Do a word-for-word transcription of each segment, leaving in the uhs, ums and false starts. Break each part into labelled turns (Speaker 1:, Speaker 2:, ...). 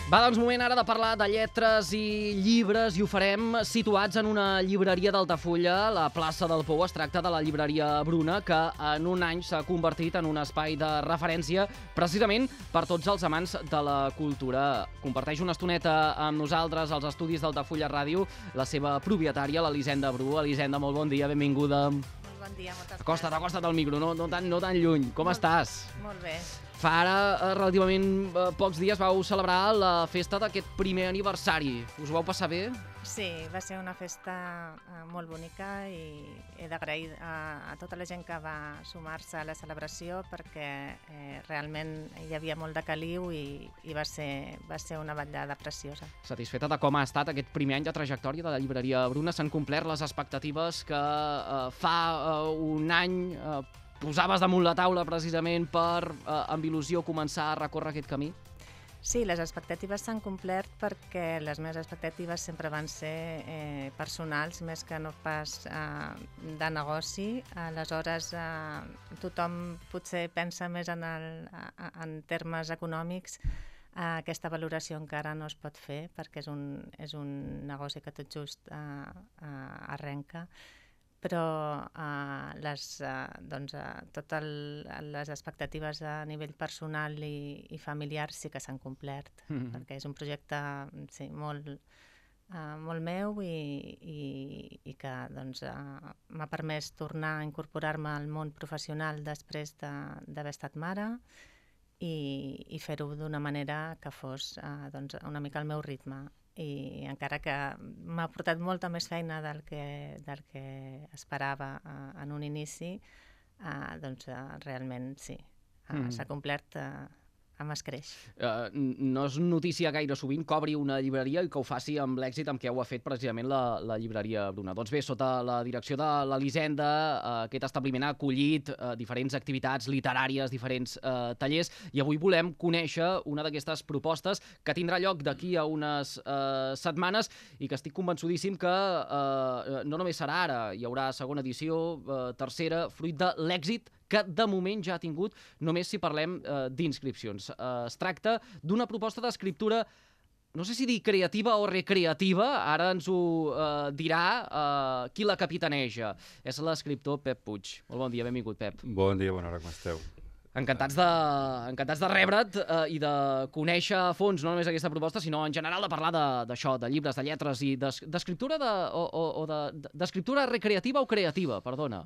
Speaker 1: Va, doncs, moment ara de parlar de lletres i llibres, i ho farem situats en una llibreria d'Altafulla, la plaça del Pou. Es tracta de la llibreria Bruna, que en un any s'ha convertit en un espai de referència precisament per tots els amants de la cultura. Comparteix una estoneta amb nosaltres als estudis d'Altafulla Ràdio la seva propietària, l'Elisenda Bru. Elisenda, molt bon dia, benvinguda.
Speaker 2: Molt bon dia, moltes gràcies.
Speaker 1: Acosta't, acosta't al micro, no, no, tan, no tan lluny. Com
Speaker 2: molt,
Speaker 1: estàs?
Speaker 2: Molt bé.
Speaker 1: Fa ara eh, relativament eh, pocs dies vau celebrar la festa d'aquest primer aniversari. Us ho vau passar bé?
Speaker 2: Sí, va ser una festa eh, molt bonica i he d'agrair a, a tota la gent que va sumar-se a la celebració perquè eh, realment hi havia molt de caliu i, i va, ser, va ser una vetllada preciosa.
Speaker 1: Satisfeta de com ha estat aquest primer any de trajectòria de la llibreria Bruna? S'han complert les expectatives que eh, fa eh, un any eh, posaves damunt la taula precisament per, eh, amb il·lusió, començar a recórrer aquest camí?
Speaker 2: Sí, les expectatives s'han complert perquè les meves expectatives sempre van ser eh, personals més que no pas eh, de negoci. Aleshores, eh, tothom potser pensa més en, el, en termes econòmics. Eh, aquesta valoració encara no es pot fer perquè és un, és un negoci que tot just eh, eh, arrenca. Però eh, les, eh, doncs, eh, totes les expectatives a nivell personal i, i familiar sí que s'han complert, mm-hmm. perquè és un projecte sí, molt, eh, molt meu i, i, i que doncs, eh, m'ha permès tornar a incorporar-me al món professional després d'haver de, estat mare i, i fer-ho d'una manera que fos eh, doncs, una mica al meu ritme. I encara que m'ha portat molta més feina del que, del que esperava uh, en un inici, uh, doncs uh, realment sí, uh, mm. s'ha complert uh, amb escreix.
Speaker 1: Uh, no és notícia gaire sovint que obri una llibreria i que ho faci amb l'èxit amb què ho ha fet precisament la, la llibreria Bruna. Doncs bé, sota la direcció de l'Elisenda, uh, aquest establiment ha acollit uh, diferents activitats literàries, diferents uh, tallers, i avui volem conèixer una d'aquestes propostes que tindrà lloc d'aquí a unes uh, setmanes i que estic convençudíssim que uh, no només serà ara, hi haurà segona edició, uh, tercera, fruit de l'èxit que de moment ja ha tingut, només si parlem eh, d'inscripcions. Eh, es tracta d'una proposta d'escriptura, no sé si dir creativa o recreativa, ara ens ho eh, dirà eh, qui la capitaneja. És l'escriptor Pep Puig. Molt bon dia, benvingut, Pep.
Speaker 3: Bon dia, bona hora, com esteu?
Speaker 1: Encantats de, encantats de rebre't eh, i de conèixer a fons no només aquesta proposta, sinó en general de parlar d'això, de, de llibres, de lletres i d'escriptura de, o, o, o de, d'escriptura recreativa o creativa, perdona.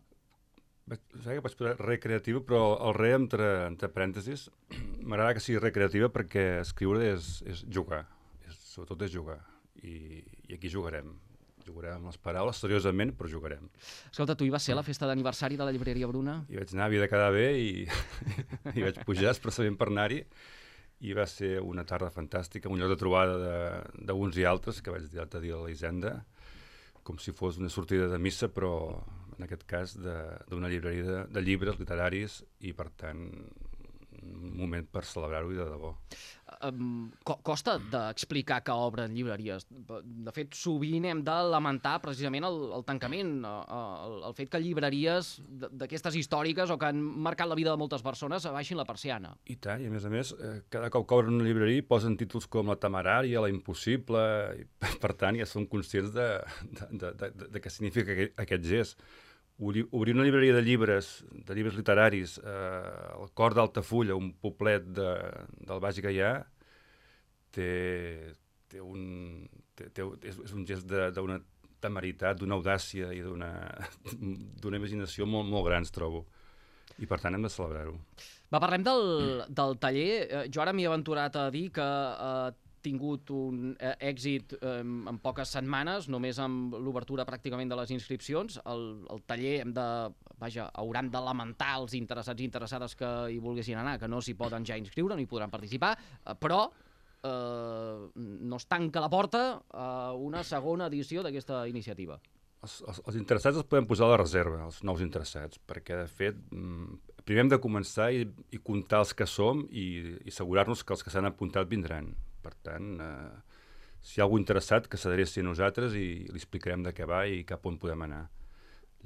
Speaker 3: Saps que vaig posar recreativa, però el re entre, entre parèntesis m'agrada que sigui recreativa perquè escriure és, és jugar, és, sobretot és jugar, I, i aquí jugarem. Jugarem amb les paraules, seriosament, però jugarem.
Speaker 1: Escolta, tu hi vas ser a la festa d'aniversari de la llibreria Bruna?
Speaker 3: Hi vaig anar, havia de quedar bé i, i vaig pujar expressament per anar-hi i va ser una tarda fantàstica, un lloc de trobada d'uns i altres, que vaig dir l'altre dia a l'Elisenda, com si fos una sortida de missa, però en aquest cas d'una llibreria de, de llibres literaris i, per tant, un moment per celebrar-ho i de debò.
Speaker 1: Um, co costa d'explicar que obren llibreries. De fet, sovint hem de lamentar precisament el, el tancament, el, el fet que llibreries d'aquestes històriques o que han marcat la vida de moltes persones abaixin la persiana.
Speaker 3: I tant, i a més a més, eh, cada cop que obren una llibreria posen títols com La temerària, La impossible, i per tant ja són conscients de, de, de, de, de què significa aquest, aquest gest. Obrir una llibreria de llibres, de llibres literaris, eh, al cor d'Altafulla, un poblet de, del Baix Gaià, té, té un, té, té, és, és un gest d'una temeritat, d'una audàcia i d'una imaginació molt, molt grans, trobo. I per tant hem de celebrar-ho.
Speaker 1: Va, parlem del, del taller. Jo ara m'hi he aventurat a dir que eh, tingut un eh, èxit eh, en poques setmanes, només amb l'obertura pràcticament de les inscripcions. El, el taller hem de, vaja, hauran de lamentar els interessats i interessades que hi volguessin anar, que no s'hi poden ja inscriure, no hi podran participar, eh, però eh, no es tanca la porta a una segona edició d'aquesta iniciativa.
Speaker 3: Els, els, els interessats els podem posar a la reserva, els nous interessats, perquè, de fet, primer hem de començar i, i comptar els que som i, i assegurar-nos que els que s'han apuntat vindran. Per tant, eh, si hi ha algú interessat, que s'adreci a nosaltres i li explicarem de què va i cap on podem anar.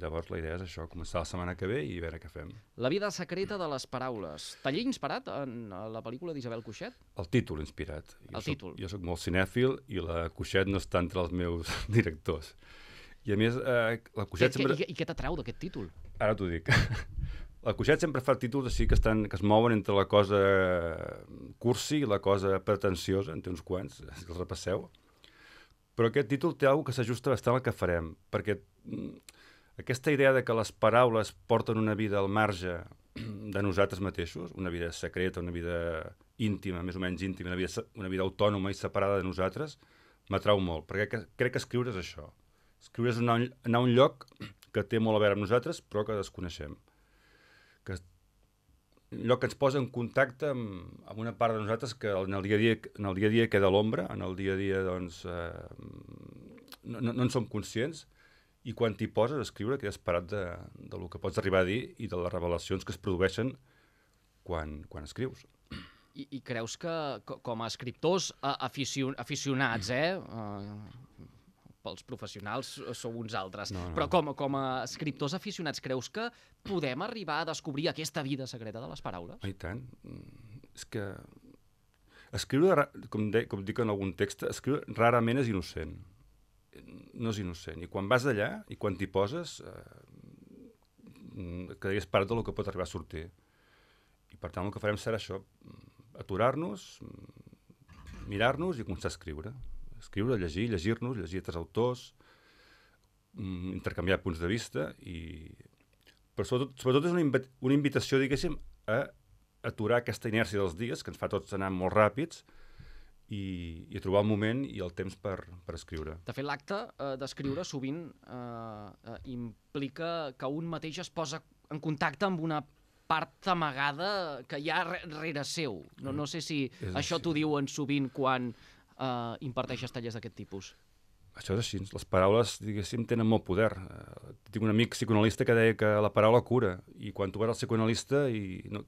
Speaker 3: Llavors la idea és això, començar la setmana que ve i veure què fem.
Speaker 1: La vida secreta de les paraules. Taller inspirat en la pel·lícula d'Isabel Cuixet?
Speaker 3: El títol inspirat. Jo
Speaker 1: El
Speaker 3: soc,
Speaker 1: títol.
Speaker 3: Jo sóc molt cinèfil i la Cuixet no està entre els meus directors. I a més, eh, la Cuixet
Speaker 1: Que,
Speaker 3: sempre...
Speaker 1: I, I què t'atrau d'aquest títol?
Speaker 3: Ara t'ho dic. La Cuixet sempre fa títols així que, estan, que es mouen entre la cosa cursi i la cosa pretensiosa, en té uns quants, si els repasseu. Però aquest títol té alguna que s'ajusta bastant al que farem, perquè aquesta idea de que les paraules porten una vida al marge de nosaltres mateixos, una vida secreta, una vida íntima, més o menys íntima, una vida, una vida autònoma i separada de nosaltres, m'atrau molt, perquè crec que escriure és això. Escriure és anar, anar a un lloc que té molt a veure amb nosaltres, però que desconeixem. Que, un lloc que ens posa en contacte amb, amb una part de nosaltres que en el dia a dia, en el dia a dia queda a l'ombra, en el dia a dia doncs, eh, no, no, no en som conscients, i quan t'hi poses a escriure quedes parat de, de lo que pots arribar a dir i de les revelacions que es produeixen quan, quan escrius.
Speaker 1: I, I creus que, com a escriptors aficion, aficionats, eh? Uh, pels professionals sou uns altres, no, no. Però com, com a escriptors aficionats, creus que podem arribar a descobrir aquesta vida secreta de les paraules?
Speaker 3: I tant. És que escriure, com, de, com dic en algun text, escriure rarament és innocent. No és innocent. I quan vas allà i quan t'hi poses, eh, quedaries parat del que pot arribar a sortir. I per tant el que farem serà això, aturar-nos, mirar-nos i començar a escriure. Escriure, llegir, llegir-nos, llegir altres autors, intercanviar punts de vista i... Però sobretot, sobretot és una, inv una invitació, diguéssim, a aturar aquesta inèrcia dels dies, que ens fa tots anar molt ràpids, I, i trobar el moment i el temps per, per escriure.
Speaker 1: De fet, l'acte eh, d'escriure sovint eh, eh, implica que un mateix es posa en contacte amb una part amagada que hi ha rere seu. No, no sé si és això t'ho diuen sovint quan eh, imparteixes tallers d'aquest tipus.
Speaker 3: Això és així. Les paraules, diguéssim, tenen molt poder. Uh, tinc un amic psicoanalista que deia que la paraula cura, i quan tu vas al psicoanalista i... No,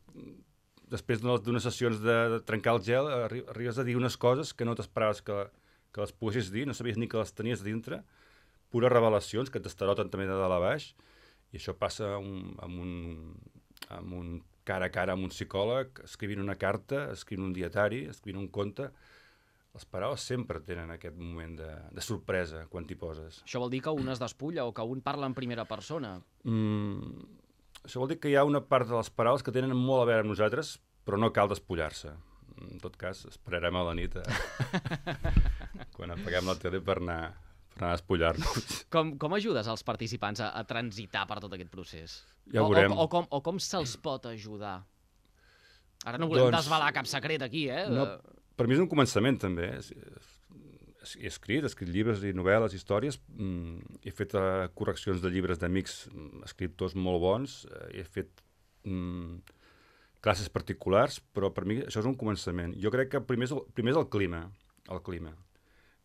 Speaker 3: després d'unes sessions de, de trencar el gel, arri arribes a dir unes coses que no t'esperaves que, que les poguessis dir, no sabies ni que les tenies dintre, pures revelacions que t'estaroten també de dalt a baix, i això passa un, amb, un, amb un cara a cara amb un psicòleg, escrivint una carta, escrivint un dietari, escrivint un conte. Les paraules sempre tenen aquest moment de, de sorpresa quan t'hi poses.
Speaker 1: Això vol dir que un es despulla o que un parla en primera persona?
Speaker 3: Mm... Això vol dir que hi ha una part de les paraules que tenen molt a veure amb nosaltres, però no cal despullar-se. En tot cas, esperarem a la nit a... quan apaguem la tele per anar, per anar a despullar-nos.
Speaker 1: Com, com ajudes als participants a, a transitar per tot aquest procés?
Speaker 3: Ja ho veurem.
Speaker 1: O, o, o com, o com se'ls pot ajudar? Ara no volem doncs, desvelar cap secret aquí, eh?
Speaker 3: No, per mi és un començament, també. He escrit, he escrit llibres i novel·les, històries, mm, he fet uh, correccions de llibres d'amics, escriptors molt bons, uh, he fet mm, classes particulars, però per mi això és un començament. Jo crec que primer és el, primer és el clima, el clima,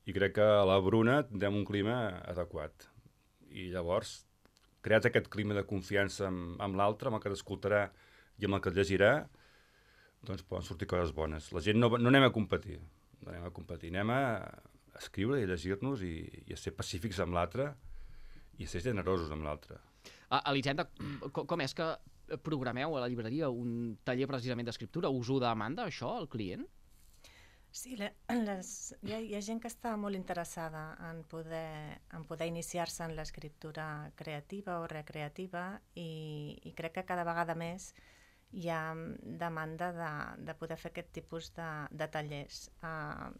Speaker 3: i crec que a la Bruna tindrem un clima adequat. I llavors, creat aquest clima de confiança amb, amb l'altre, amb el que t'escoltarà i amb el que et llegirà, doncs poden sortir coses bones. La gent no, no anem a competir, no anem a competir, anem a escriure i llegir-nos i, i a ser pacífics amb l'altre i a ser generosos amb l'altre.
Speaker 1: Uh, Elisenda, com, com és que programeu a la llibreria un taller precisament d'escriptura? Us ho demanda això, el client?
Speaker 2: Sí, les, hi, ha, hi ha gent que està molt interessada en poder, en poder iniciar-se en l'escriptura creativa o recreativa i, i crec que cada vegada més hi ha demanda de, de poder fer aquest tipus de, de tallers. Uh,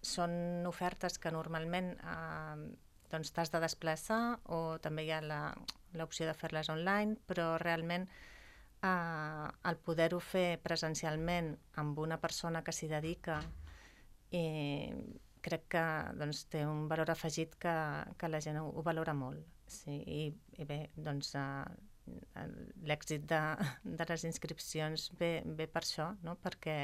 Speaker 2: Són ofertes que normalment eh, doncs t'has de desplaçar o també hi ha l'opció de fer-les online, però realment eh, el poder-ho fer presencialment amb una persona que s'hi dedica eh, crec que doncs, té un valor afegit que, que la gent ho, ho valora molt. Sí, i, i bé, doncs eh, l'èxit de, de les inscripcions ve, ve per això, no? Perquè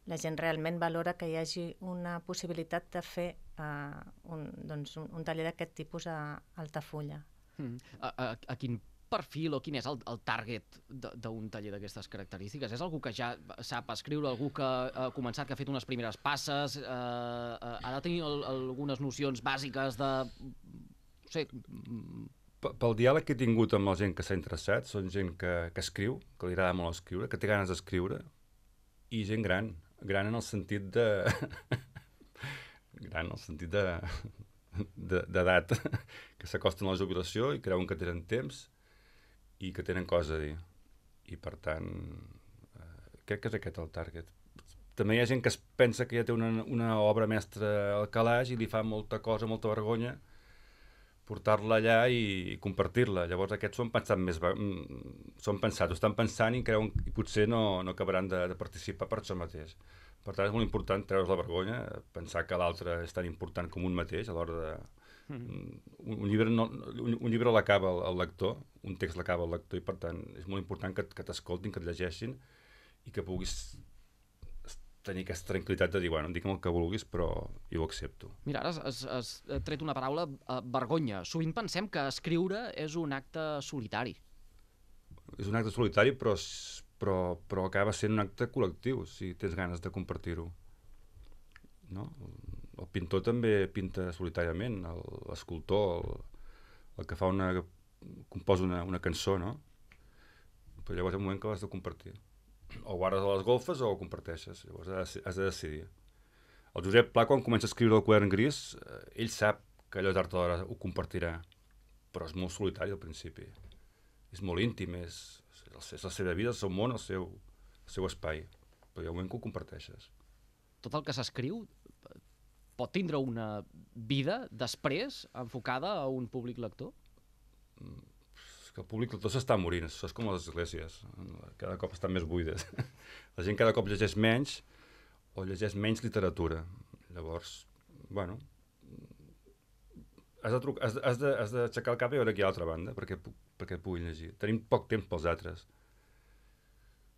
Speaker 2: la gent realment valora que hi hagi una possibilitat de fer uh, un, doncs un, un taller d'aquest tipus a Altafulla.
Speaker 1: Mm. A, a, a quin perfil o quin és el, el target d'un taller d'aquestes característiques? És algú que ja sap escriure, algú que ha començat, que ha fet unes primeres passes, eh, ha de tenir el, algunes nocions bàsiques de, no sé,
Speaker 3: pel diàleg que he tingut amb la gent que s'ha interessat, són gent que, que escriu, que li agrada molt escriure, que té ganes d'escriure, i gent gran, gran en el sentit de... gran en el sentit de d'edat, que s'acosten a la jubilació i creuen que tenen temps i que tenen coses a dir. I, per tant, eh, crec que és aquest el target. També hi ha gent que es pensa que ja té una, una obra mestra al calaix i li fa molta cosa, molta vergonya portar-la allà i, i compartir-la. Llavors aquests són pensats més... són pensats, ho estan pensant i creuen i potser no, no acabaran de, de participar per això mateix. Per tant, és molt important treure's la vergonya, pensar que l'altre és tan important com un mateix a l'hora de... Mm. Un, un llibre, no, un, un llibre l'acaba el, el lector, un text l'acaba el lector, i per tant és molt important que, que t'escoltin, que et llegeixin i que puguis tenir aquesta tranquil·litat de dir, bueno, digue'm el que vulguis, però jo ho accepto.
Speaker 1: Mira, ara has, has tret una paraula, uh, vergonya. Sovint pensem que escriure és un acte solitari.
Speaker 3: És un acte solitari, però, però, però acaba sent un acte col·lectiu, si tens ganes de compartir-ho. No? El pintor també pinta solitàriament, l'escultor, el, el que fa una... composa una, una cançó, no? Però llavors hi ha un moment que l'has de compartir. O guardes a les golfes o ho comparteixes, llavors has, has de decidir. El Josep Pla, quan comença a escriure el Quadern Gris, eh, ell sap que allò tard o d'hora ho compartirà, però és molt solitari al principi. És molt íntim, és, és la seva vida, el seu món, el seu, el seu espai, però hi ha un moment que ho comparteixes.
Speaker 1: Tot el que s'escriu pot tindre una vida després enfocada a un públic lector?
Speaker 3: Mm. Que el públic lector s'està morint, això és com les esglésies, cada cop estan més buides. La gent cada cop llegeix menys o llegeix menys literatura. Llavors, bueno, has de truc, has, has de, has d'aixecar el cap i veure aquí a l'altra banda perquè, perquè puguin llegir. Tenim poc temps pels altres.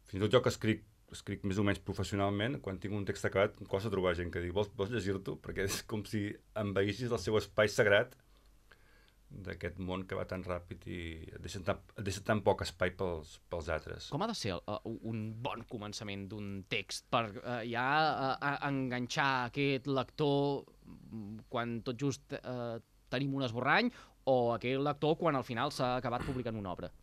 Speaker 3: Fins i tot jo que escric, escric més o menys professionalment, quan tinc un text acabat em costa trobar gent que digui vols, vols llegir-t'ho? Perquè és com si envaïssis el seu espai sagrat d'aquest món que va tan ràpid i et deixa tan, et deixa tan poc espai pels, pels altres.
Speaker 1: Com ha de ser uh, un bon començament d'un text per uh, ja uh, enganxar aquest lector quan tot just uh, tenim un esborrany o aquell lector quan al final s'ha acabat publicant una obra?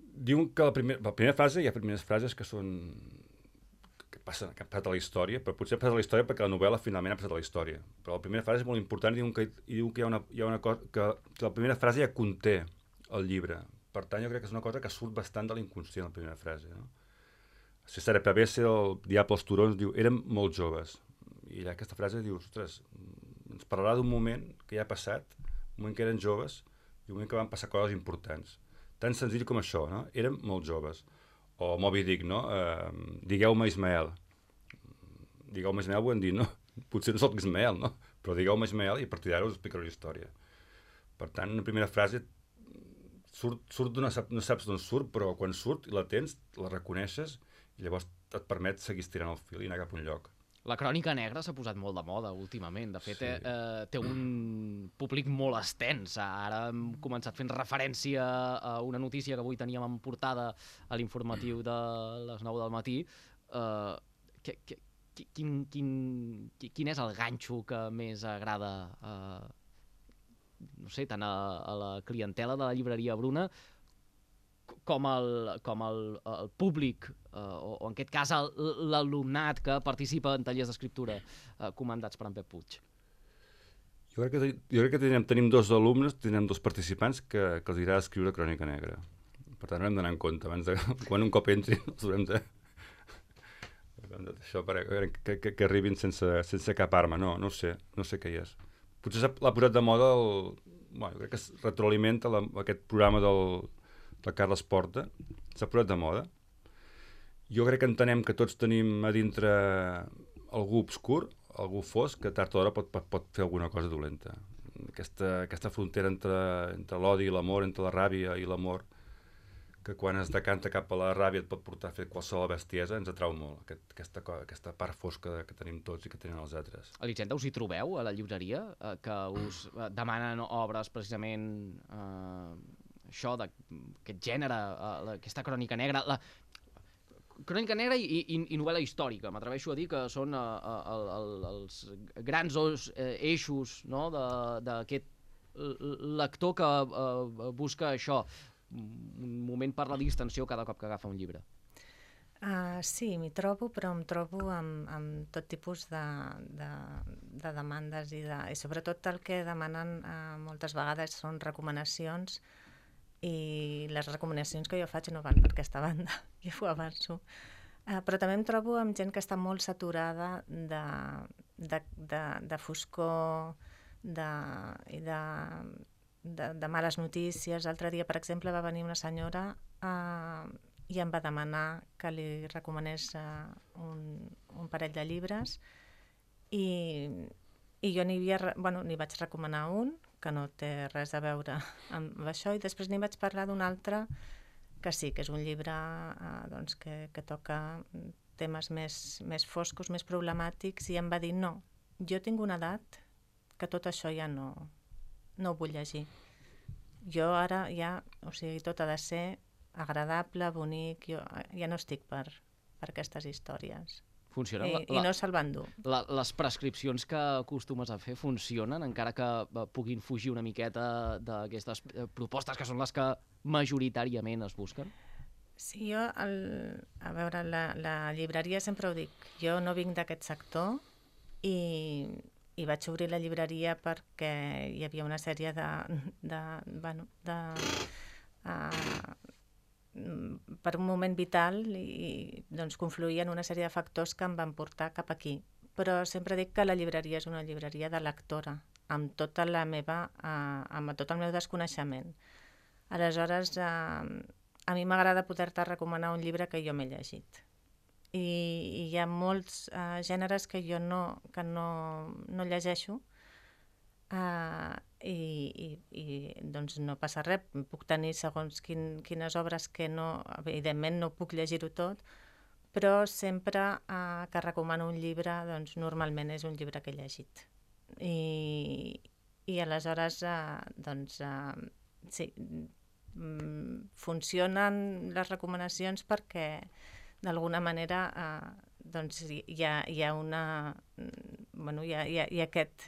Speaker 3: Diuen que la, primer, la primera fase, hi ha primeres frases que són que passen, que han passat a la història, però potser ha passat a la història perquè la novel·la finalment ha passat a la història. Però la primera frase és molt important i diuen que, i diuen que hi ha una, hi ha una cosa, que, que la primera frase ja conté el llibre. Per tant, jo crec que és una cosa que surt bastant de l'inconscient, la primera frase. No? César Pavese, el Diable als turons, diu, érem molt joves. I aquesta frase diu, ostres, ens parlarà d'un moment que ja ha passat, un moment que eren joves, i un moment que van passar coses importants. Tan senzill com això, no? Érem molt joves. O Moby Dick, no? Uh, digueu-me Ismael. Digueu-me Ismael, ho hem dit, no? Potser no soc Ismael, no? Però digueu-me Ismael i a partir d'ara us explicaré la història. Per tant, una primera frase surt, surt d'una... no saps d'on surt, però quan surt i la tens, la reconeixes i llavors et permet seguir estirant el fil i anar cap a un lloc.
Speaker 1: La crònica negra s'ha posat molt de moda últimament. De fet, sí. eh, té un públic molt extens. Ara hem començat fent referència a una notícia que avui teníem en portada a l'informatiu de les nou del matí. Eh, que, que, quin, quin, quin és el ganxo que més agrada eh, no sé, tant a, a la clientela de la llibreria Bruna com el, com el, el públic, eh, o, o en aquest cas l'alumnat que participa en tallers d'escriptura eh, comandats per en Pep Puig?
Speaker 3: Jo crec que, jo crec que tenim, tenim dos alumnes, tenim dos participants que, que els agrada escriure crònica negra. Per tant, hem d'anar en compte. Abans de, quan un cop entrin, els haurem de... això per, que, que, que arribin sense, sense cap arma. No, no ho sé, no sé què hi és. Potser l'ha posat de moda el... Bueno, crec que es retroalimenta la, aquest programa del de Carles Porta, s'ha posat de moda. Jo crec que entenem que tots tenim a dintre algú obscur, algú fosc, que tard o d'hora pot, pot fer alguna cosa dolenta. Aquesta, aquesta frontera entre, entre l'odi i l'amor, entre la ràbia i l'amor, que quan es decanta cap a la ràbia et pot portar a fer qualsevol bestiesa, ens atrau molt, aquest, aquesta, aquesta part fosca que tenim tots i que tenen els altres.
Speaker 1: Elisenda, us hi trobeu a la llibreria? Eh, que us eh, demanen obres precisament... Eh, això, d'aquest gènere, uh, aquesta crònica negra, la crònica negra i, i, i novel·la històrica. M'atreveixo a dir que són uh, uh, el, el, els grans os, uh, eixos, no?, d'aquest lector que uh, busca això, un moment per la distensió cada cop que agafa un llibre.
Speaker 2: Uh, sí, m'hi trobo, però em trobo amb, amb tot tipus de, de, de demandes i, de, i sobretot el que demanen uh, moltes vegades són recomanacions, i les recomanacions que jo faig no van per aquesta banda, ja ho avanço. Uh, però també em trobo amb gent que està molt saturada de, de, de, de foscor de, i de, de, de males notícies. L'altre dia, per exemple, va venir una senyora uh, i em va demanar que li recomanés uh, un, un parell de llibres i, i jo n'hi havia, bueno, n'hi vaig recomanar un que no té res a veure amb això, i després n'hi vaig parlar d'un altre que sí, que és un llibre uh, doncs que, que toca temes més, més foscos, més problemàtics, i em va dir no, jo tinc una edat que tot això ja no, no ho vull llegir. Jo ara ja, o sigui, tot ha de ser agradable, bonic, jo ja no estic per, per aquestes històries.
Speaker 1: Funcionen?
Speaker 2: I,
Speaker 1: La,
Speaker 2: i no se'l van dur.
Speaker 1: La, les prescripcions que acostumes a fer funcionen, encara que uh, puguin fugir una miqueta d'aquestes uh, propostes que són les que majoritàriament es busquen?
Speaker 2: Sí, jo, el, a veure, la, la llibreria sempre ho dic, jo no vinc d'aquest sector i, i vaig obrir la llibreria perquè hi havia una sèrie de, de, bueno, de uh, per un moment vital, i doncs confluïen una sèrie de factors que em van portar cap aquí. Però sempre dic que la llibreria és una llibreria de lectora, amb tota la meva, eh, amb tot el meu desconeixement. Aleshores, eh, a mi m'agrada poder-te recomanar un llibre que jo m'he llegit. I, i hi ha molts eh, gèneres que jo no, que no, no llegeixo, Uh, i, i, i doncs no passa res, puc tenir segons quin, quines obres que no, evidentment no puc llegir-ho tot, però sempre uh, que recomano un llibre, doncs normalment és un llibre que he llegit. I, i aleshores uh, doncs uh, sí, funcionen les recomanacions perquè d'alguna manera uh, doncs hi ha, hi ha una bueno, hi ha, hi ha, hi ha aquest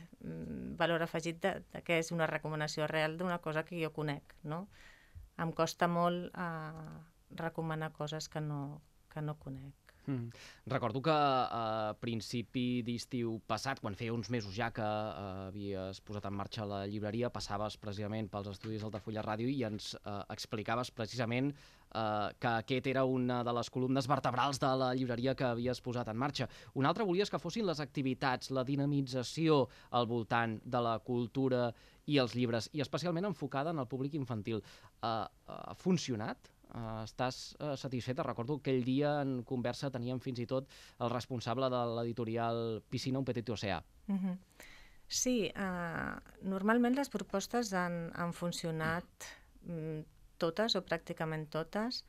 Speaker 2: valor afegit de, de que és una recomanació real d'una cosa que jo conec, no? Em costa molt eh, recomanar coses que no, que no conec.
Speaker 1: Mm. Recordo que a principi d'estiu passat, quan feia uns mesos ja que uh, havies posat en marxa la llibreria, passaves precisament pels estudis d'Altafulla Ràdio i ens uh, explicaves precisament uh, que aquest era una de les columnes vertebrals de la llibreria que havies posat en marxa. Una altra volies que fossin les activitats, la dinamització al voltant de la cultura i els llibres, i especialment enfocada en el públic infantil. Uh, uh, ha funcionat? Uh, estàs uh, satisfeta? Recordo que aquell dia en conversa teníem fins i tot el responsable de l'editorial Piscina, un petit oceà.
Speaker 2: Mm-hmm. Sí, uh, normalment les propostes han, han funcionat mm, totes o pràcticament totes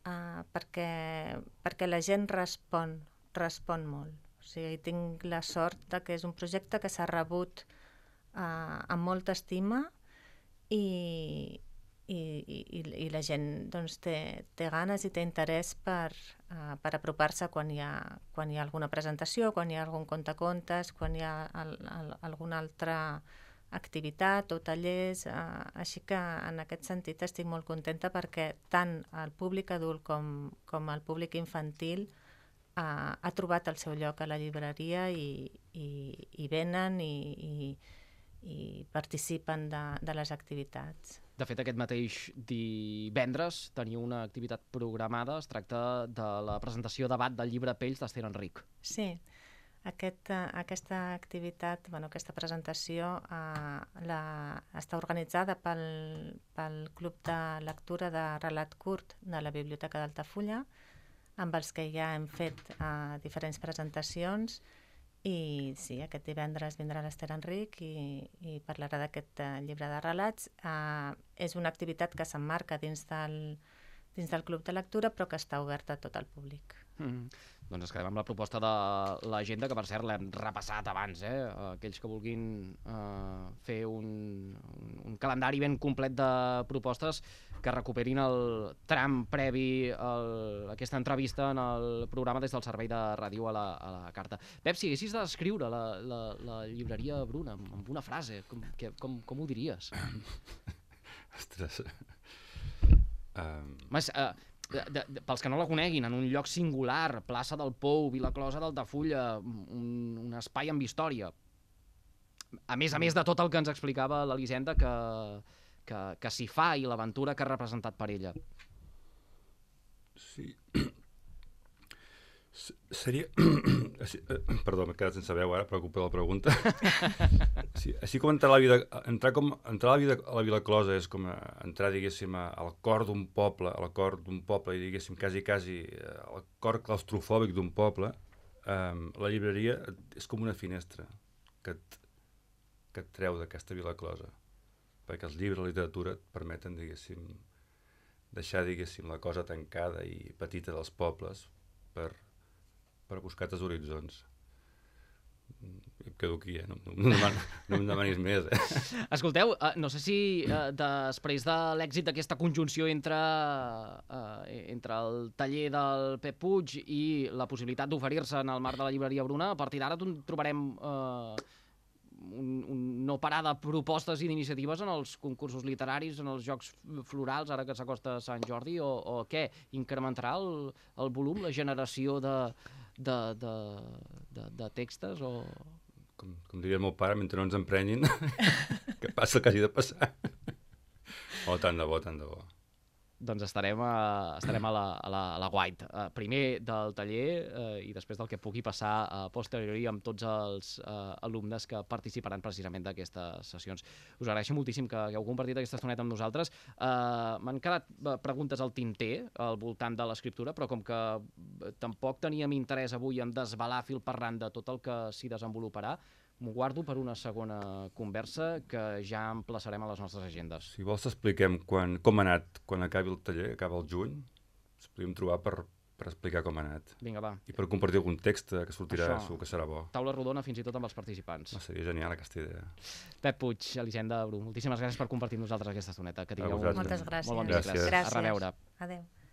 Speaker 2: uh, perquè, perquè la gent respon, respon molt. O sigui, tinc la sort de que és un projecte que s'ha rebut uh, amb molta estima i I, i, i la gent doncs, té, té ganes i té interès per, uh, per apropar-se quan hi ha, quan hi ha alguna presentació, quan hi ha algun contacontes, quan hi ha el, el, alguna altra activitat o tallers, uh, així que en aquest sentit estic molt contenta perquè tant el públic adult com, com el públic infantil uh, ha trobat el seu lloc a la llibreria i, i, i venen i, i, i participen de, de les activitats.
Speaker 1: De fet, aquest mateix divendres teniu una activitat programada. Es tracta de la presentació debat del llibre Pells d'Ester Enric.
Speaker 2: Sí, aquest, aquesta activitat, bueno, aquesta presentació eh, la, està organitzada pel, pel Club de Lectura de Relat Curt de la Biblioteca d'Altafulla, amb els que ja hem fet eh, diferents presentacions. I sí, aquest divendres vindrà l'Ester Enric i, i parlarà d'aquest uh, llibre de relats. Uh, és una activitat que s'emmarca dins del, dins del Club de Lectura, però que està oberta a tot el públic.
Speaker 1: Mm. Doncs ens quedem amb la proposta de l'agenda, que per cert l'hem repassat abans, eh? Aquells que vulguin uh, fer un, un, un calendari ben complet de propostes, que recuperin el tram previ a aquesta entrevista en el programa des del Servei de Ràdio a la, a la Carta. Pep, si haguessis de descriure la, la, la llibreria Bruna amb, amb una frase, com, que, com, com ho diries?
Speaker 3: Ostres... Um...
Speaker 1: Mas, uh, De, de, de, pels que no la coneguin, en un lloc singular, plaça del Pou, Vilaclosa d'Altafulla, un, un espai amb història. A més a més de tot el que ens explicava l'Elisenda que, que, que s'hi fa i l'aventura que ha representat per ella.
Speaker 3: Sí. Seria... Perdó, m'he quedat sense veu ara, preocupa la pregunta. Sí, així com entrar a la vida, entrar com entrar a la vida a la Vilaclosa és com entrar, diguéssim, al cor d'un poble, al cor d'un poble i diguéssim quasi quasi al cor claustrofòbic d'un poble. Um, la llibreria és com una finestra que et, que et treu d'aquesta Vilaclosa, perquè els llibres, la literatura et permeten, diguéssim, deixar, diguéssim, la cosa tancada i petita dels pobles per per buscar altres horitzons. Em quedo aquí, eh? No, no, no, deman, no em demanis més, eh?
Speaker 1: Escolteu, uh, no sé si uh, després de l'èxit d'aquesta conjunció entre, uh, entre el taller del Pep Puig i la possibilitat d'oferir-se en el marc de la llibreria Bruna, a partir d'ara trobarem uh, un, un no parar de propostes i d'iniciatives en els concursos literaris, en els jocs florals, ara que s'acosta Sant Jordi, o, o què? Incrementarà el, el volum, la generació de... De, de, de, de textos o...
Speaker 3: Com, com diria el meu pare, mentre no ens emprenyin, que passa el que hagi de passar. Oh, tant de bo, tant de bo.
Speaker 1: Doncs estarem a, estarem a la, a la, a la White, uh, primer del taller uh, i després del que pugui passar a uh, posteriori amb tots els uh, alumnes que participaran precisament d'aquestes sessions. Us agraeixo moltíssim que hagueu compartit aquesta estoneta amb nosaltres. Uh, M'han quedat uh, preguntes al tinter al voltant de l'escriptura, però com que uh, tampoc teníem interès avui en desvelar fil per randa tot el que s'hi desenvoluparà, m'ho guardo per una segona conversa que ja emplaçarem a les nostres agendes.
Speaker 3: Si vols t'expliquem quan, com ha anat quan acabi el taller, acaba el juny, ens podríem trobar per, per explicar com ha anat.
Speaker 1: Vinga, va.
Speaker 3: I per compartir algun text que sortirà,
Speaker 1: Això,
Speaker 3: segur que serà bo.
Speaker 1: Taula rodona fins i tot amb els participants.
Speaker 3: No, seria genial aquesta idea.
Speaker 1: Pep Puig, Elisenda Bru, moltíssimes gràcies per compartir amb nosaltres aquesta estoneta. Que tingueu
Speaker 2: Moltes gràcies.
Speaker 1: molt bon
Speaker 3: gràcies.
Speaker 1: dimecres.
Speaker 2: Gràcies.
Speaker 1: A reveure.
Speaker 2: Adéu.